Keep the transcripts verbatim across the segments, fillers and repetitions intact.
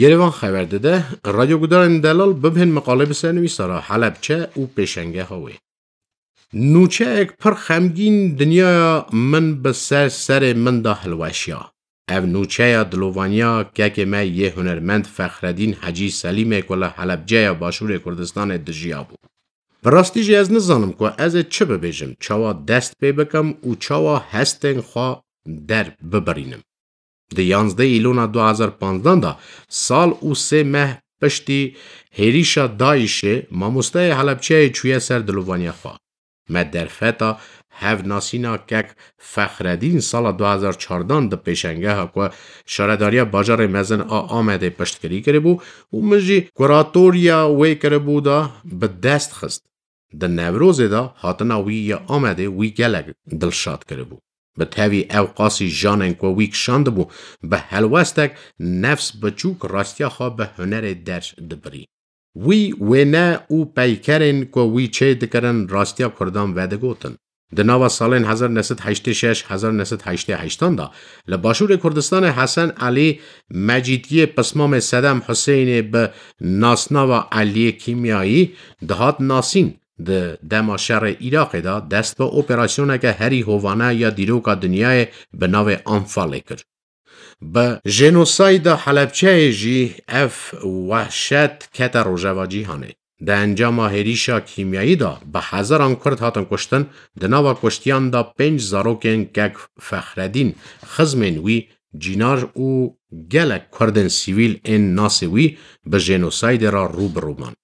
Yerevan xeber dide, radyogudarên delal bibhên miqalê bi ser nivîsara Helebçe û pêşengeha wê. Nûçeyek pir xemgîn dinyaya min bi ser serê min de hilweşiya. Ev nûçeya dilovaniya kekê me yê hunermend Fexredîn Hecî Selîmê ku li Helebceya Başûrê Kurdistanê dijiyabû. Bi rastî jî ez nizanim ku ez ê çi bibêjim, çawa dest pê bikim û çawa hestên xwe der bibirînim. Di yanzdeh Îlona du hezar panzdan de, sal û sê meh piştî hêrîşa DAIŞê, mamosteyê Helebçeyê çûye ser dilovaniya xwe. Me derfeta hevnasîna kek Fexredîn sala du hezar çardan di pêşengeha ku Şaredariya Bajarê Mezin a Amedê piştgirî kiribû û min jî kuratoriya wê kiribû de bi dest xist. Di Newrozê de hatina wî ya Amedê wî gelek dilşad kiribû. Bi tevî ew qasî janên ku wî kişandibû, bi helwestek nefs biçûk rastiya xwe bi hunerê der dibirî. Wî wêne û peykerên ku wî çê dikirin rastiya Kurdan vedigotin. Di nava salên hezar neh sed heştê şeş, hezar neh sed heştê heştan de li Başûrê Kurdistanê Hesen Elî Mecîdiyê pismamê Sedem Huseyinê bi nasnava Eliyê Kîmyayî dihat nasîn. Di dema şerê Iraqê de dest bi operasyoneke herî hovane ya dîroka dinyayê bi navê Anfalê kir. Bi jenosayda Helebçeyê jî ev wehşet kete rojeva cîhanê. Di encama hêrîşa kîmyayî de bi hezaran Kurd hatin kuştin, di nava kuştiyan de pênc zarokên kek Fexredîn, xizmên wî, cînar û gelek Kurdên sivîl ên nasê wî bi jenosaydê re rû bi rû man.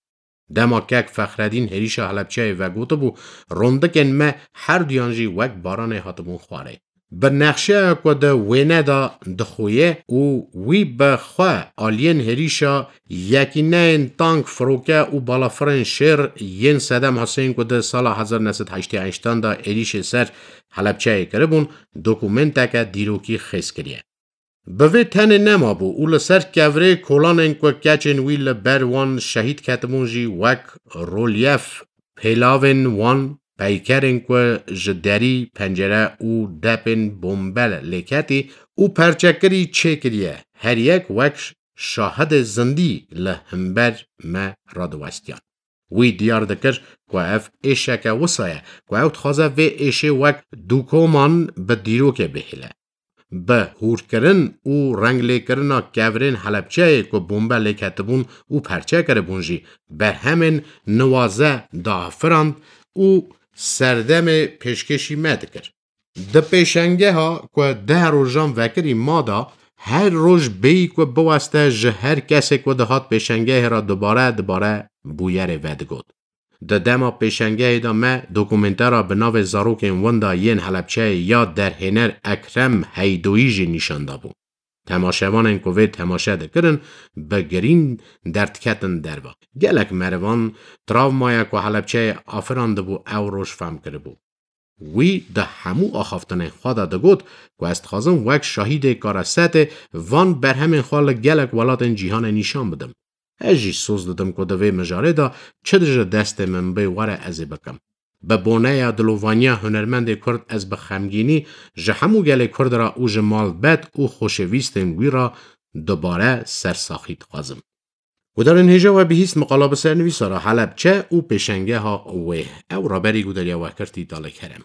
Dema kek Fexredîn hêrîşa Helebçeyê vegotibû, rondikên me herduyan jî wek baranê hatibûn xwarê. Bi nexşeya ku di wêne de dixuye û wî bi xwe aliyên hêrîşa yekîneyên tank, firoke û balafirên şêr yên Sedem Huseyîn ku di sala hezar neh sed heştê heştan de êrîşê ser Helebçeyê kiribûn, dokumenteke dîrokî xêz kiriye. Bi vê tenê nemabû û li ser kevirê kolanên ku keçên wî li ber wan şehîd ketibûn jî wek rolyef pêlavên wan, peykerên ku ji derî, pencere û depên bombe lêketî û perçekirî çêkiriye, her yek wek şahidê zindî li hember me radiwestiyan. Wî diyar dikir ku ev êşeke wisa ye ku ew dixwaze vê êşê wek dûkoman bi dîrokê bihêle. Bi hûrkirin û renglêkirina kevirên Helebçeyê ku bombe lêketibûn û perçe kiribûn jî berhemên niwaze diafirand û serdemê pêşkêşî me dikir. Di pêşengeha ku deh rojan vekirî ma de, her roj bêyî ku biweste ji her kesê ku dihat pêşengehê re dubare dubare bûyerê vedigot. Di dema pêşengehê de me dokumentera bi navê Zarokên Winda yên Helebçeyê ya derhêner Ekrem Heydoyî jî nîşan dabû. Temaşevanên ku vê temaşe dikirin, bi girîn derdiketin derve. Gelek merivan travmaya ku Helebçeyê afirandibû ew roj fehm kiribû. Wî di hemû axaftinên xwe de digot ku ez dixwazim wek şahîdê karesetê van berhemên xwe li gelek welatên cîhanê nîşan bidim. Ez jî soz didim ku di vê mijarê de çi dije destê min bê were ez ê bikim. Bi boneya dilovaniya hunermendê Kurd ez bi xemgînî ji hemû gelê Kurd re û ji malbet û xoşewîstên wî re dubare sersaxî dixwazim. Gudarên hêja we bihîst miqala bi ser nivîsara Helebçe û pêşengeha wê. Ew raberî gudariya we kir Tîtalê Kerem.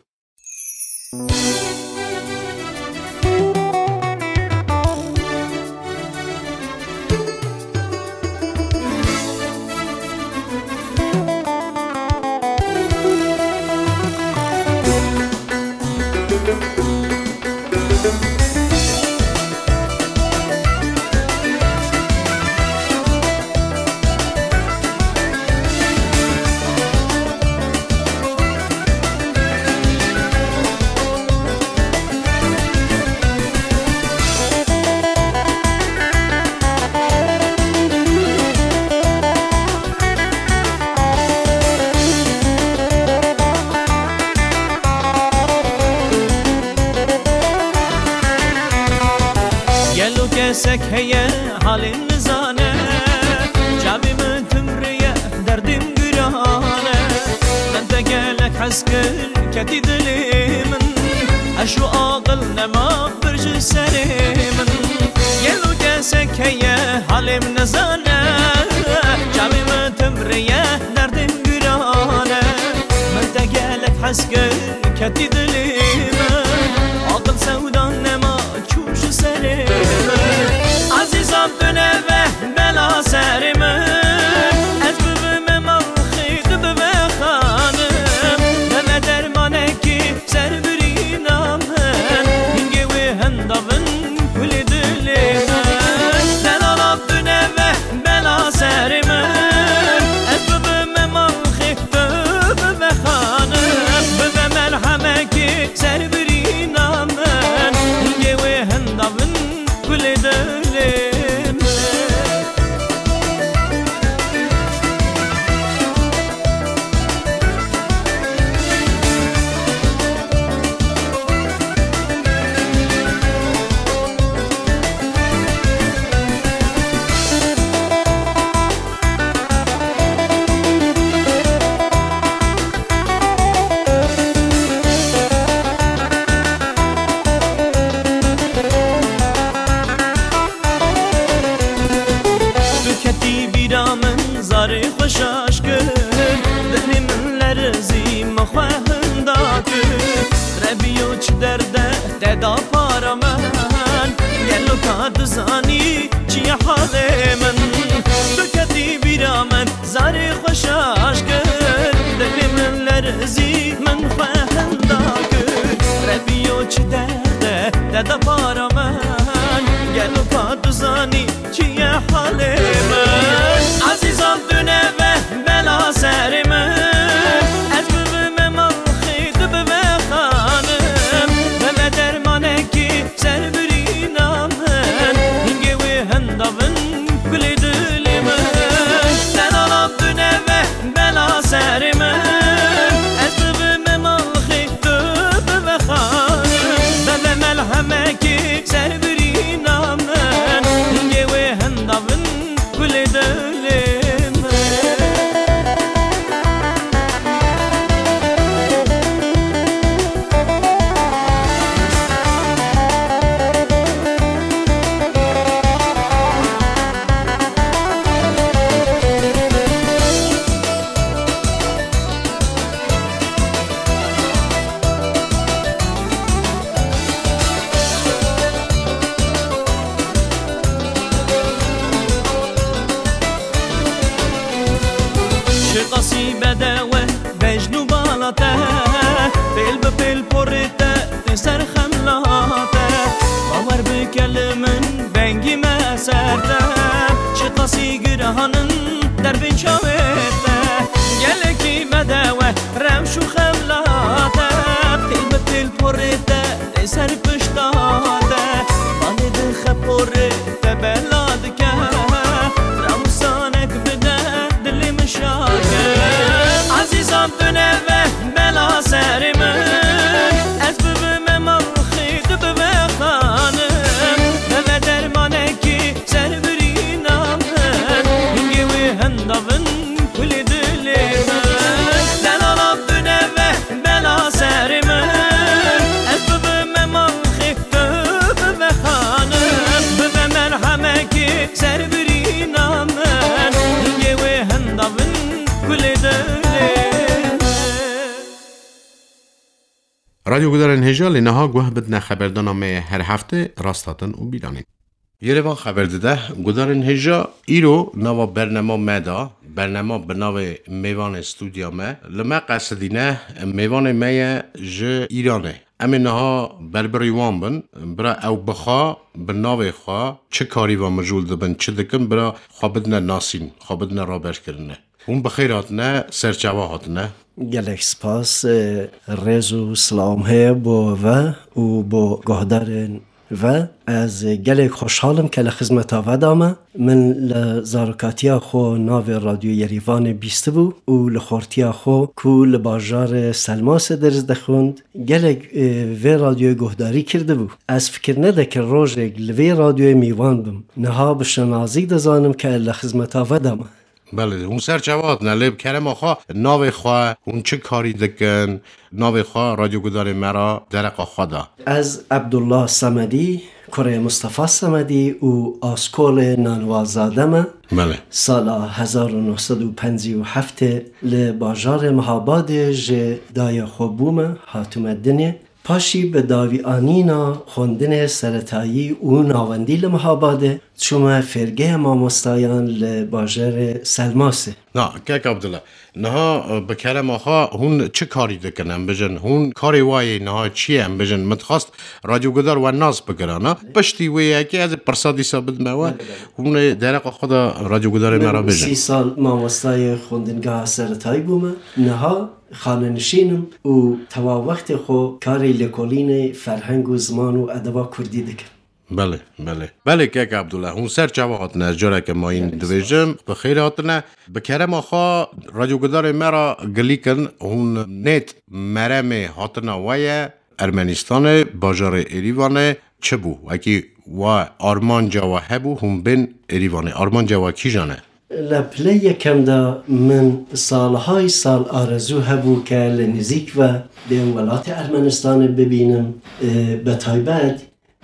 Gelo kesek heye halê min nizane, çavê min timreye, derdê min giran e. Min te gelek hez kir, ketî dilê min. Eş û aqil nema bir ji serê min. Gelo kes Sekeye halê min nezane, çavê min timreye, derdê min giran e. Min te gelek hez kir, ketî dilê min. Aqil sewdan nema çû ji serê min. Ezîzan tu neve bela serê min. Ez bibime malxê, tu bibe xanim. Neve dermanekî ser birîna min. Hingê wê henda bin kulê dilê min. Delala tu neve bela serê min. Ez bibime malxê, tu bibe xanim. Bibe melhemekê ser birîna min. Hingê wê henda bin kulê dilê min. Tu ketî bîra min, zarê xwe şaş kir, dilê min lerzî, min xwe hinda kir. Rebiyo çi derde te da para min, gelo ka dizanî çi ye halê min. Tu ketî bîra min, zarê xwe şaş kir, dilê min lerzî, min xwe hinda kir. Rebiyo çi derde te da para min, gelo ka dizanî çi ye halê min. Ezîzan tu neve bela serê min. Ez bibime malxê, tu bibe xanim. Bibe dermanekî ser birîna min. Hingê wê henda bin kulê dilê min. Delala tu neve bela serê min. Ez bibime malxê, tu bibe xanim. Bibe melhemekî ser birîna min. Hingê wê henda bin kulê dilê min. Çiqasî bedewe bejn û bala te, pêl bi pêl porê te tê ser xemla te. Bawer bike li min vengî me ser te, çiqasî girahan in derbên çavê te. Gelekî bedewe rewş û xemla te, pêl bi pêl porê te tê ser pişta te. Balê dixe porê te bela dike, ramûsanek bide dilê min şake. Ezîzan tu neve bela serê min, ez bibime malxê, tu bibe xanim. Bibe dermanekî ser birîna min, hingê wê henda bin kulê dilê min. Delala tu neve bela serê min, ez bibime malxê, tu bibe xanim. Bibe merhemekê ser birîna min, hingê wê henda bin kulê dilê min. Radyo Gudarên Hêja, lê niha guh bidine xeberdana me ye her hefte, Rasthatin û Bîranîn. Yê rê van xeber dide, Gudarên Hêja, îro nava bernema me da, bernema bi navê Mêvanê Stûdya Me, li me qesidîne, mêvanê me ye ji Îranê. Em ê niha berbirî wan bin, bira ew bi xwe, bi navê xwe, çi karî va mijûl dibin, çi dikin, bira xwe bidine nasîn, xwe bidine raberkirine. Hûn bi xêr hatine, ser çava hatine. Gelek spas, e, rêz û silam heye bo ve û bo guhdarên ve. Ez gelek xweşhal im ke li xizmeta ve de me. Min li zarokatiya xwe navê Radyo Yerîvanê bîstibû û li xortiya xwe ku li bajarê Selmasê ders dixwend, gelek, e, vê radyoyê guhdarî kirdibû. Ez fikir nedekir rojek li vê radyoyê mîvan bim. Niha bi şinazî dizanim ke li xizmeta ve de me. Belê, hûn ser çava hatine, lê bi kerema xwe navê xwe, hûn çi karî dikin, navê xwe radyogudarê me re dereqa xwe da. Ez Ebdullah Semedî, kurê Mustafa Semedî û askolê Nanwazade me. Belê. Sala hezar û neh sed û pêncî û heftê li bajarê Mihabadê ji dayê xwe bûme, hatime dinê. Paşî bi dawî anîna xwendinê seretayî û navendî li Mihabadê çûme fêrgeya mamostayan li bajarê Selmasê. Na, kek Abdullah, niha, e, bi kerema xwe hûn çi karî dikin? Em bijin, hûn karê wayê niha çi ye? Em bijin, min dixwest radyogudar we nas bikirana. Piştî wê yekê ez ê pirsa dîsa bidime we. Belê, belê. Hûn ê dereqa xwe de radyogudarê me re bijin. Sî sal mamostayê xwendingeha seretayî bûme. Niha xanenişîn im û tewa wextê xwe karê lêkolînê ferheng û ziman û edeba kurdî dikim. Belê, belê. Belê, kek Abdullah, hûn ser çava hatine, ez careke mayîn dibêjim, bi xêr hatine. Bi kerema xwe, radyogudarê me re gilî kin, hûn nêt meremê hatina we ye Ermenistanê, bajarê Êrîvanê, çi bû? Wekî we armanca we hebû, hûn bên Êrîvanê. Armanca we kîjan e? Li pilê yekem de min salhay sal arezû hebû ke li nizîk ve dê welatê Ermenistanê bibînim, e, bi taybet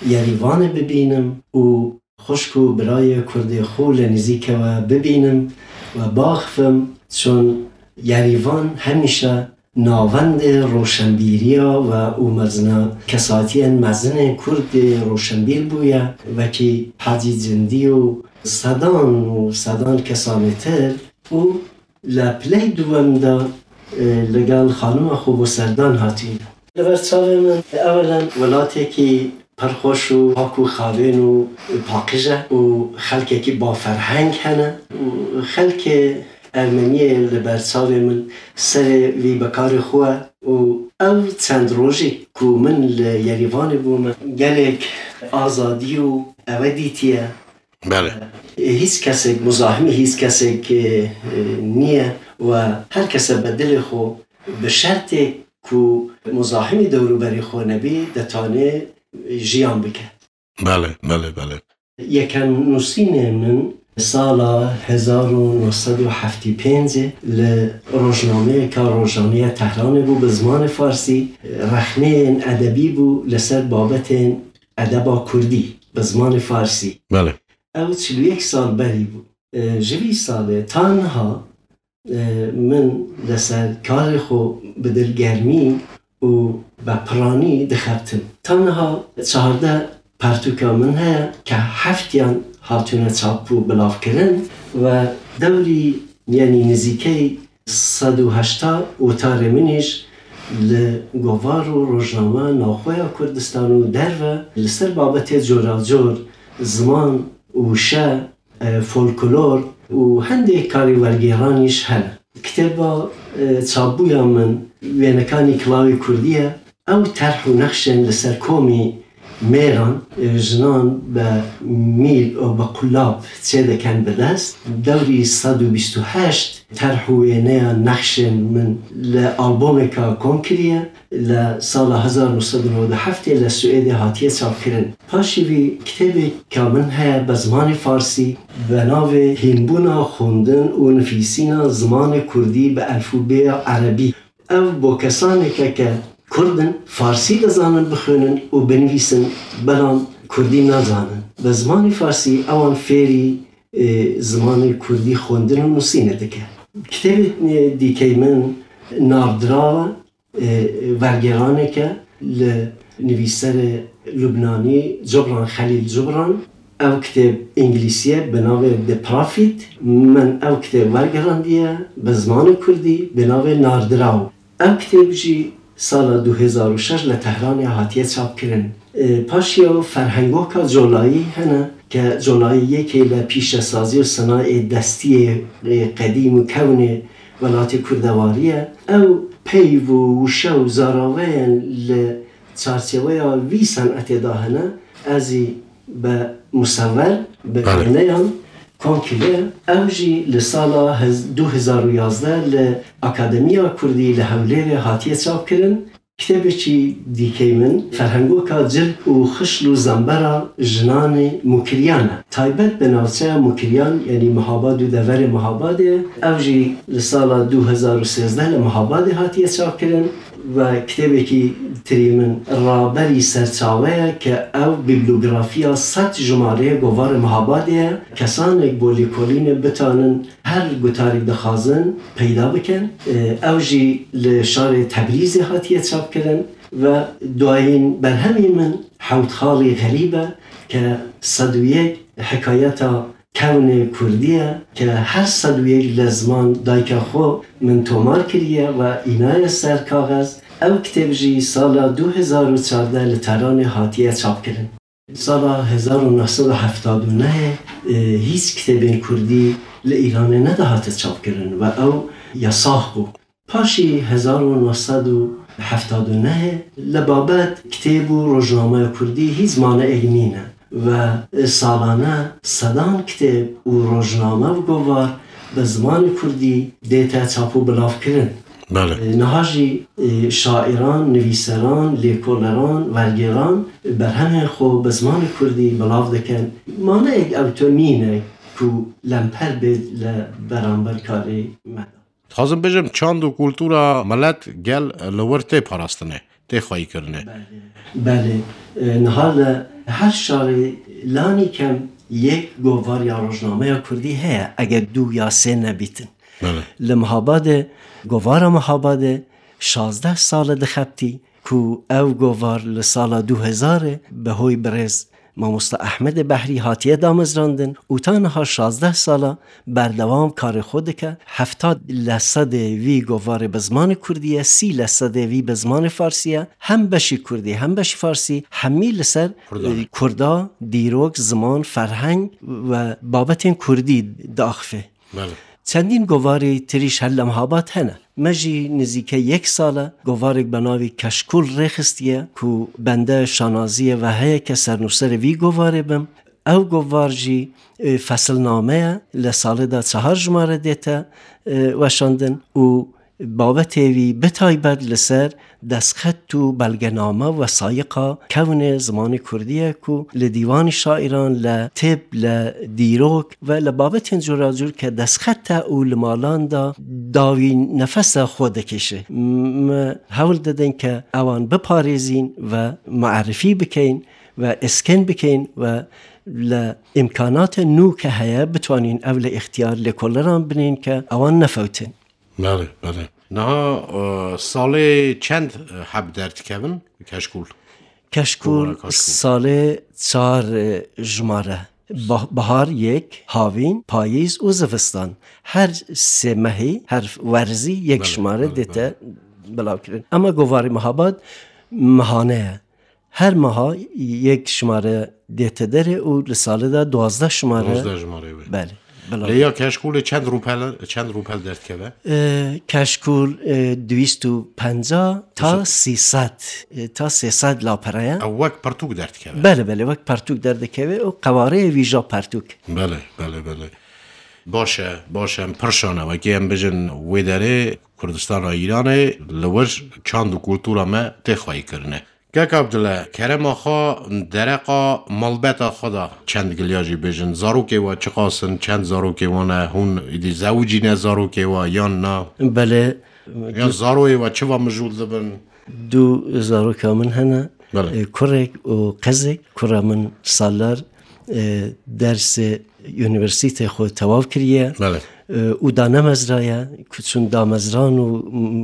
Yerîvanê bibînim û xwişk û birayê kurdê xwe li nizîke we bibînim we biaxivim, çun Yerîvan hemîşe navendê roşenbîriya we û mezina kesatiyên mezinên kurd ê roşenbîr bûye, wekî Hacî Cindî û sedan û sedan kesanê tir û li piley duwem de, e, li gel xanima xwe bo serdan hatîne. Li ber çavê min ewelen welatekî pir xweş û pak û xavên û paqij e û xelkekî baferheng hene û xelkê Ermeniyê li ber çavê min serê vî bi karê xwe û ev çend rojî ku min li Yerîvanê bûme gelek azadî û ewe dîtiye. Belê. Hîç kesek, muzahimî hîç kesek, e, e, niye we her kese bi dilê xwe bi şertê ku muzahimî dewrûberî xwe nebî, detane jiyan bike. Belê, belê, belê. Yekem nûsînê min sala hezar û neh sed û heftê pêncê li rojnameyeka rojane ya Tehranê bû bi zimanê farsî, rexneyên edebî bû li ser babetên edeba kurdî bi zimanê farsî. Belê. Ew çil û yek sal berî bû. E, ji vî salê ta niha, e, min li ser karê xwe bi dilgermî û bi piranî dixebtim. Ta niha çardeh pertûka min heye ke heftiyan hatûne çap û bilavkirin ve dewrî, yanî nizîkey sed û heşta otarê min îş li govar û rojname navxweya Kurdistan û derve li ser babetê coracor, ziman, wişe, e, folklor û hindê karê wergêranîş hene. Kitêba, e, çapbûya min, Wênekanî Kilawê Kurdî ye. Ew terh û nexşên li ser komî mêran, e, jinan bi mîl û bi qulab çêdikin bi dest. Dewrî sed û bîst û heşt terh û wêneya nexşên min li albomeka kom kiriye. Li sala hezar neh sed û newed û heftê li Swêdê hatiye çapkirin. Paşî vî kitêbeka min heye bi zimanê farsî bi navê Hînbûna xwendin û nivîsîna zimanê kurdî bi elfûbeya erebî. Ev bo kesaneke ke kurd in, farsî dizanin bixwînin û binivîsin, belam kurdî nazanin. Bi zimanê farsî ewan fêrî, e, zimanê kurdî xwendin û nusînê dike. Kitêbê dîkey min Nardiraw e, e, wergêraneke li nivîserê Lubnanî Cibran Xelîl Cibran. Ev kitêb îngilîsî ye bi navê The Prophet. Min ev kitêb wergerandiye bi zimanê kurdî bi navê Nardiraw. Ev kitêb jî sala du hezar û şeş li Tehranê hatiye çapkirin. E, paşiya ferhengoka colayî hene ke colayî yekê li pîşesazî û sinayê destiyê, e, qedîm û kewnê welatê kurdewarî ye. Ew peyv û wişe û zaraveyên li çarçeweya vî senetê de hene, ez jî bi musewwer, bi Belê. wêneyan kom kiriye. Ew jî li sala hez-, du hezar û yazdeh li Akademiya Kurdî li Hewlêrê hatiye çapkirin. Kitêbekî dîkey min ferhengoka cil û xişl û zembera jinanê Mukiriyan e. Taybet bi navçeya Mukiriyan, yanî Mihabad û deverê Mihabadê ye. Ev jî li sala du hezar û sêzdeh li Mihabadê hatiye çapkirin ve kitêbekî tirî min raberî serçawe ye ke ew bîblografiya sed jimareyê govarê Mihabadê ye. Kesanek bo lêkolînê bitanin her gutarî dixwazin peyda bikin. Ew jî li şarê Tebrîzê hatiye çapkirin ve duyayîn berhemî min Hewt Xalî Xerîb e ke sed û yek hikayeta kewnê kurdî ye ke her sed û yek lezman dayika xwe min tomar kiriye ve înaye ser kaxez. Ew kitêb jî sala du hezar û çardeh li Tehranê hatiye çapkirin. Sala hezar û neh sed û heftad û nehê, e, hîç kitêbên kurdî li Îranê nedihate çapkirin ve ew yasax bû. Paşî hezar û neh sed û heftad û nehê li babet kitêb û rojnameya kurdî hîç maneyek nîne ve, e, salane sedan kitêb û rojname û govar bi zimanê kurdî dête çap û bilavkirin. Belê. E, niha jî, e, şairan, nivîseran, lêkoleran, wergêran berhemên xwe bi zimanê kurdî bilav dikin. Maneyek ew to nîne ku lemper bê li beramber karê me de. Dixwazim bêjim, çand û kultura milet gel li wir tê parastinê, tê xweyîkirinê. Belê. Belê. E, niha li her şarê lanî kem yek govar ya rojnameya kurdî heye, eger du ya sê nebîtin. Belê. Li Mihabadê, govara Mihabadê şazdeh sal e dixebitî ku ev govar li sala du hezarê bi hoy birêz Mamosta Ehmedê Behrî hatiye damezrandin û ta niha şazdeh sal e berdewam karê xwe dike. Heftad lesedê vî govarê bi zimanê kurdî ye, sî lesedê vî bi zimanê farsî ye. Hem beşî kurdî, hem beşî farsî, hemî li ser, Kurdan. e, kurda, dîrok, ziman, ferheng ve babetên kurdî diaxife. Belê. Çendîn govarê tirî ji her li Mihabad hene. Me jî nizîke yek sal e govarek bi navê Keşkûl rêxistiye ku bende şanaziyê ve heye ke sernûserê vî govarê bim. Ew govar jî, e, fesilname ye, li salê de çehar jimare dête, e, weşandin û babetê wî bi taybet li ser destxet û belgename û wesayiqa kewnê zimanê kurdî ye ku li dîwanî şairan, li tib, li dîrok ve li babetên curacur ke destxet e û li malan de dawî nefesa xwe dikêşe. M-, me hewl didin ke ewan biparêzîn ve muerifî bikeyn ve iskin bikeyn ve li îmkanatê nû ke heye bitwanîn ew li îxtiyar lêkoleran binên ke ewan nefewtin. Belê, belê. Niha, e, salê çend, e, heb derdikevin Keşkûl? Keşkûl Kovara Keşkûl. Salê çar, e, jimare. Bah-, bahar yek, havîn, payîz û zivistan. Her sê mehî, her werzî yek Belê, jimare belê, dête belê. Bilavkirin. Ama govarê Mihabad mehane ye. Her meha yek jimare dête derê û li salê de duwazdeh jimare. Duwazdeh jimare wê. Belê. Bila. Lê ya Keşkûlê çend rûpel, çend rûpel derdikeve? E, Keşkûl, e, du yüz û pêncî ta Wisa- sê sed, e, ta sê sed lapere ye. Ew wek pirtûk derdikeve? Belê, belê, wek pirtûk derdikeve û qewareyê wî ja pirtûk. Belê, belê, belê. Baş e, baş e, em pirşan e. Wekî em bijin wê derê Kurdistana Îranê li wir çand û kultura me tê xweyî kirine. Kek Abdule, kerema xwe dereqa malbeta xwe de çend giliya jî bêjin. Zarokê we çiqas in, çend zarokê wan e, hûn îdî zewicîne zarokê we yan na? Belê. Yan zaroyê we çi va mijûl dibin? Du zaroka min hene. Belê. E, kurek û qizek. Kura min salar, e, dersê unîversîtê xwe tewav kiriye. Belê. E, û damezraye, ku çûn damezran û,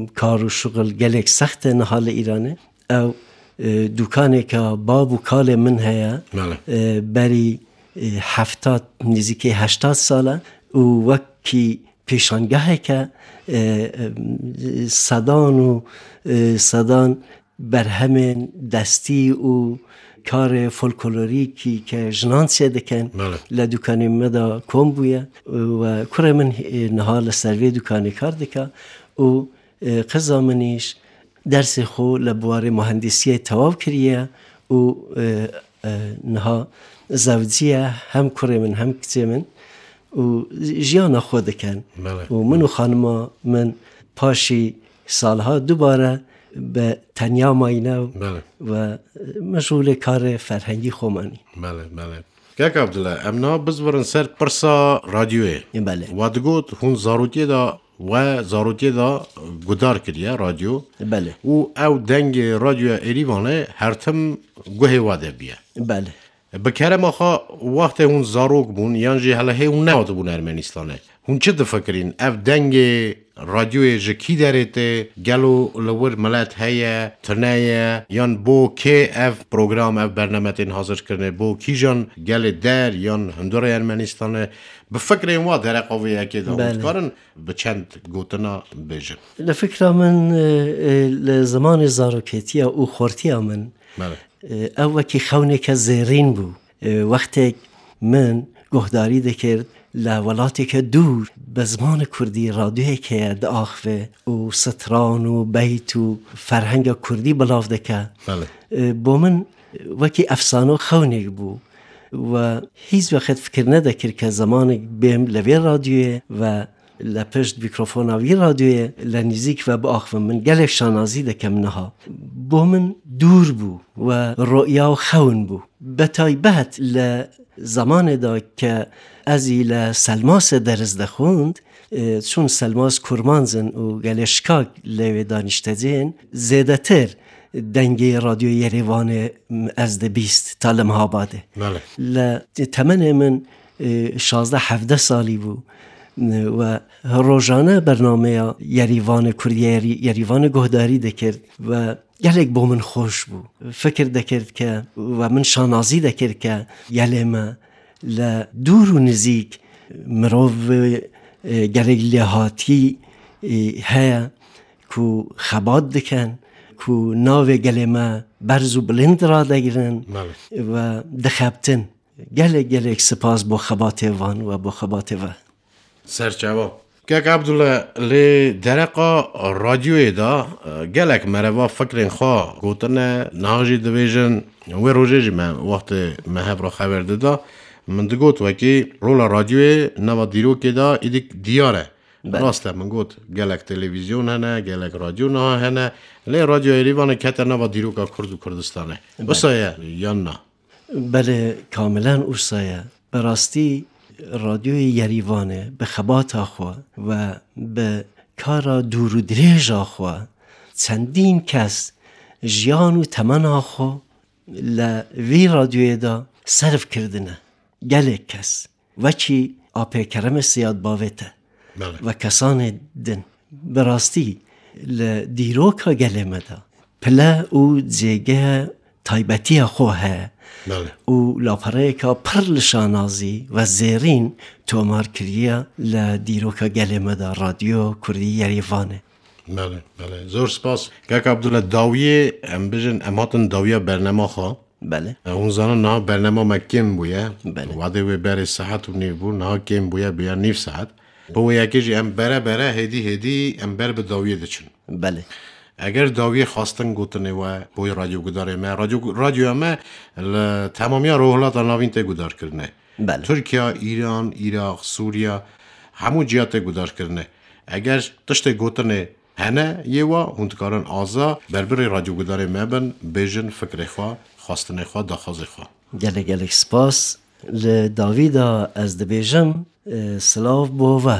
m, kar û şuxul gelek sext e niha li Îranê. Ew, e, dûkaneka bab û kalê min heye. Belê. E, berî, e, heftad, nêzîkî heştad sal e û wekî pêşangeheke, e, e, sedan û, e, sedan berhemên destî û karê folklorîkî ke jinan çêdikin Belê. Li dûkanê me de kom bûye. We kurê min, e, niha li ser vê dûkanê kar dike û, e, qiza min îş dersê xwe li biwarê muhendisiyê tewav kiriye û, e, e, niha zewciye, hem kurê min hem kiçê min û jiyana xwe dikin. Belê. Û min û xanima min paşî salha dubare bi tenya mayîne û Belê. we meşgûlê karê ferhengî xwe manî. Belê, belê. Kek Abdullah, em niha bizvirin ser pirsa radyoyê. Belê. Wa digot, hûn zarokiyê de, we zarokiyê de guhdar kiriye radyo. Belê. Û ew dengê radyoya Êrîvanê her tim guhê we de biye. Belê. Bi kerema xwe, wextê hûn zarok bûn, yan jî hele hê hûn nehatibûn Ermenistanê, hûn çi difikirîn? Ev dengê radyoyê ji kî derê tê? Gelo li wir milet heye, tune ye? Yan bo kê ev program, ev bername tên hazir kirine? Bo kîjan gelê der yan hundirê Ermenistanê? Bi fikrên wa dereqa vê yekê de hûn Belê. dikarin bi çend gotina bêjin? Li fikra min, e, e, li zimanê zaroketiya û xortiya min, Belê. e, ew wekî xewneke zêrîn bû. E, wextek min guhdarî dikir li welateke dûr bi zimanê kurdî radyoyeke diaxive û stran û beyt û ferhenga kurdî belav dike. Belê. E, bo min wekî efsane û xewnek bû. We hîç wexet fikir nedekir ke zemanek bêm li vê radyoyê ve li pişt mîkrofona vî radyoyê li nîzîk ve biaxivim. Min gelek şanazî dikim niha. Bo min dûr bû we roya û xewn bû. Bi taybet li zemanê de ke ez î li Selmasê ders dixwend, e, çûn Selmas Kurmanc in û gelê Şikak lê wê danîştecên, zêdetir dengê Radyoya Yerêvanê, m, ez dibîst ta li Mehabadê. Belê. Li temenê min, e, şazdeh hevdeh salî bû, e, we rojane bernameya Yerîvanê Kurdî, Yerî-, Yerîvanê guhdarî dikir we gelek bo min xweş bû. Fikir dikir ke we min şanazî dikir ke gelê me li dûr û nizîk mirov, e, gelek lêhatî, e, heye ku xebat dikin, ku navê gelê me berz û bilind radegirin Belê. we dixebtin. Gelek gelek spas bo xebatê van we bo xebatê ve. Serçava. Kek Abdullah, lê dereqa radyoyê de, e, gelek mereva fikrên xwe gotine, niha jî dibêjin, wê rojê jî me wextê me hev re xeber dida, min digot wekî rola radyoyê nava dîrokê de îdî diyar e. Belê. Rast e, min got, gelek televîzyon hene, gelek radyo niha hene, lê Radyoya Yerîvanê kete nava dîroka Kurd û Kurdistanê. Belê. Wisa ye yan na? Belê, kamilen wisa ye. Bi rastî, Radyoyê Yerîvanê bi xebata xwe ve bi kara dûr û dirêja xwe çendîn kes jiyan û temena xwe li vî radyoyê de serf kirdine. Gelek kes, wekî Apê Keremê Siyad Bavê te Belê. ve kesanê din, bi rastî li dîroka gelê me de pile û cêgehe taybetiya xwe heye Belê. û lapereyeka pir li şanazî ve zêrîn tomar kiriye li dîroka gelê me de, Radyo Kurdî Yerîvanê. Belê, belê. Zor spas. Kek Abdullah, dawiyê, em bijin, em hatin dawiya bernama xwe. Belê. E, hûn zanin niha bernama me kêm bûye. Belê. Wadê wê berê saet û nîv bû, niha kêm bûye, bûye nîv saet. Bi wê yekê jî em bere bere, hêdî hêdî em ber bi dawiyê diçin. Belê. Eger dawiyê xwestin gotinê we, boy radyogudarê me, radyo, radyoya me li temamiya Rojhilata Navîn tê gudarkirinê. Belê. Tirkiye, Îran, Iraq, Sûriye, hemû ciya tê gudarkirinê. Eger tiştê gotinê hene yê we, hûn dikarin aza berbirê radyogudarê me bin, bêjin fikrê xwe, xwestinê xwe, daxwazê xwe. Gelek gelek spas. Li dawî de ez dibêjim, e, silav bo we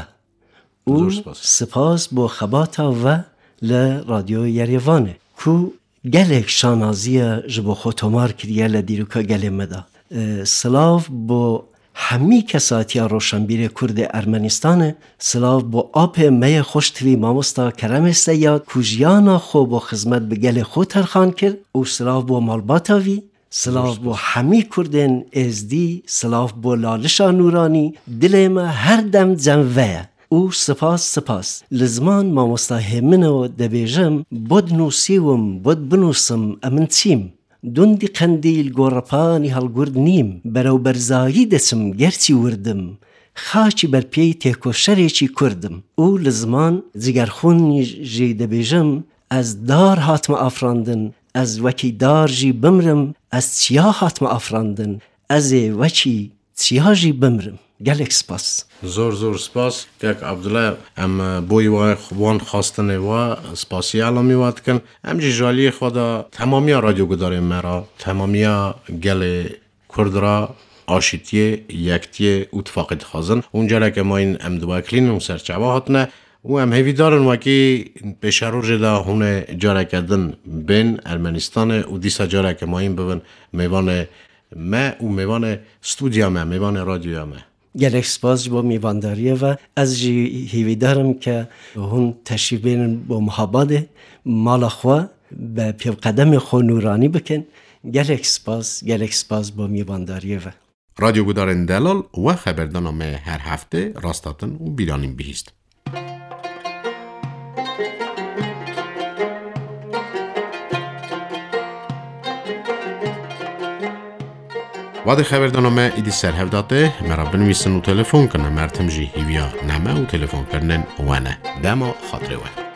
û Zor spas. spas bo xebata we li Radyo Yerêvanê ku gelek şanaziya ji bo xwe tomar kiriye li dîroka gelê me de. E, silav bo hemî kesatiya roşenbîrê Kurdê Ermenistanê, silav bo apê me yê xweştivî mamosta Keremê Seyad ku jiyana xwe bo xizmet bi gelê xwe terxan kir û silav bo malbata vî, silav bo hemî Kurdên Êzdî, silav bo Lalişa Nûranî, dilê me her dem cem ve ye. Û spas, spas. Li ziman mamosta Hêmino dibêjim, bud nûsîwim, bud binûsim, emin çîm. Dundî qendîl gorepanî helgurd nîm, berew berzayî deçim, gerçî wirdim. Xaçî ber pêy têkoşerêçî kurdim. Û li ziman cigerxûnî jî dibêjim, ez dar hatime afrandin, ez wekî dar jî bimrim, ez çiya hatime afrandin, ez ê wekî çiya jî bimrim. Gelek spas. Zor zor spas. Kek Abdullah, em, e, boyî wa-, wan xastinê wa spasî elamî wa dikin. Em jî ji aliyê xwe de temamiya radyogudarên me re, temamiya gelê Kurd re aşîtiyê, yektiyê û tifaqê dixwazin. Hûn careke mayîn em diweklînin û serçava hatine û em hêvîdar in wekî pêşerojê de hûn ê careke din bên Ermenistanê û dîsa careke mayîn bibin mêvanê me û mêvanê stûdya me, mêvanê radyoya me. Gelek spas ji bo mêvandariyê ve. Ez jî hêvîdar im ke hûn teşrîf bênin bo Mihabadê, mala xwe, bi pêvqedemê xwe nûranî bikin. Gelek spas, gelek spas bo mêvandariyê ve. Radyogudarên delal we xeberdana me her hefte rastatin û bîranîn bihîst. Wadê xeberdana me îdî ser hev date, me re binivîsin û telefon kin, em her tim jî hîviya neme û telefonkirinên we ne. Dema xatirê we.